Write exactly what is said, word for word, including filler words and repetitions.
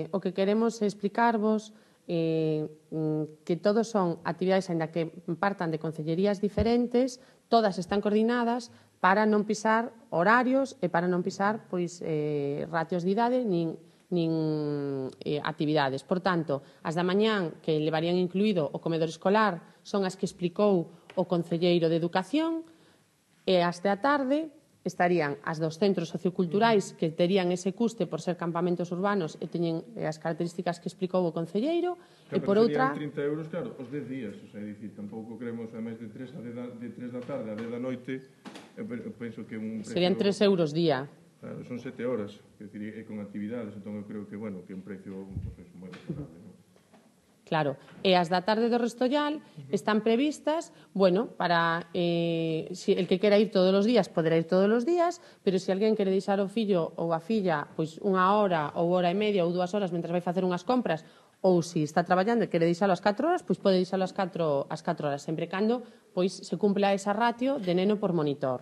eh, o que queremos é explicarvos eh, que todos son actividades, ainda que partan de concellerías diferentes, todas están coordinadas para non pisar horarios e para non pisar pois, eh, ratios de idade nin, nin eh, actividades. Por tanto, as da mañán que levarían incluído o comedor escolar son as que explicou o concelleiro de Educación, e as da tarde estarían as dos centros socioculturais que terían ese custe por ser campamentos urbanos e teñen as características que explicou o concelleiro, e por outra... Serían trinta euros, claro, os dez días, o sea, dicir, tampouco queremos a máis de tres da tarde a dez da noite, eu penso que un precio... Serían tres euros día. Claro, son sete horas, e con actividades, entón eu creo que, bueno, que é un precio pues, moi razonable, non? Claro, e as da tarde do Restollal están previstas, bueno, para eh, si el que quera ir todos os días poderá ir todos os días, pero se alguén quere deixar o fillo ou a filla pois unha hora ou hora e media ou dúas horas mentre vai facer unhas compras, ou se está traballando e quere deixalo ás catro horas, pois pode deixalo ás catro, ás catro horas, sempre cando pois se cumpla esa ratio de neno por monitor.